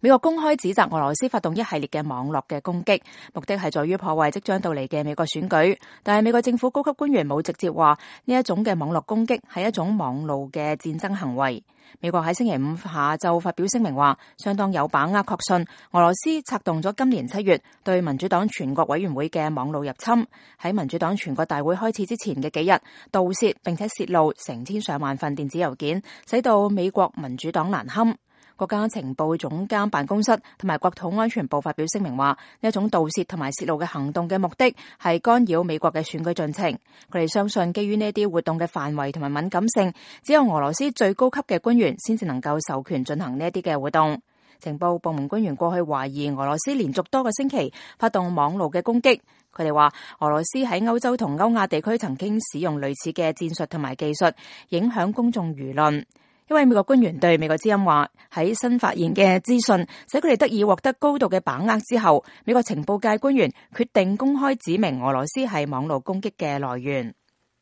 美國公開指責俄羅斯發動一系列嘅網絡嘅攻擊，目的係在於破壞即將到嚟嘅美國選舉。但係美國政府高級官員冇直接話呢一種嘅網絡攻擊係一種網路嘅戰爭行為。美國喺星期五下晝發表聲明話，相當有把握確信俄羅斯策動咗今年7月對民主黨全國委員會嘅網路入侵，喺民主黨全國大會開始之前嘅幾日盜竊並且泄露成千上萬份電子郵件，使到美國民主黨難堪。國家情報總監辦公室同埋國土安全部發表聲明話，呢一種盜竊同埋泄露嘅行動嘅目的係干擾美國嘅選舉進程。佢哋相信基於呢啲活動嘅範圍同埋敏感性，只有俄羅斯最高級嘅官員先至能夠授權進行呢一啲嘅活動。情報部門官員過去懷疑俄羅斯連續多個星期發動網路嘅攻擊。佢哋話俄羅斯喺歐洲同歐亞地區曾經使用類似嘅戰術同埋技術，影響公眾輿論。一位美國官員對美國之音話，喺新發現嘅資訊使佢哋得以獲得高度嘅把握之後，美國情報界官員決定公開指明俄羅斯係網絡攻擊嘅來源。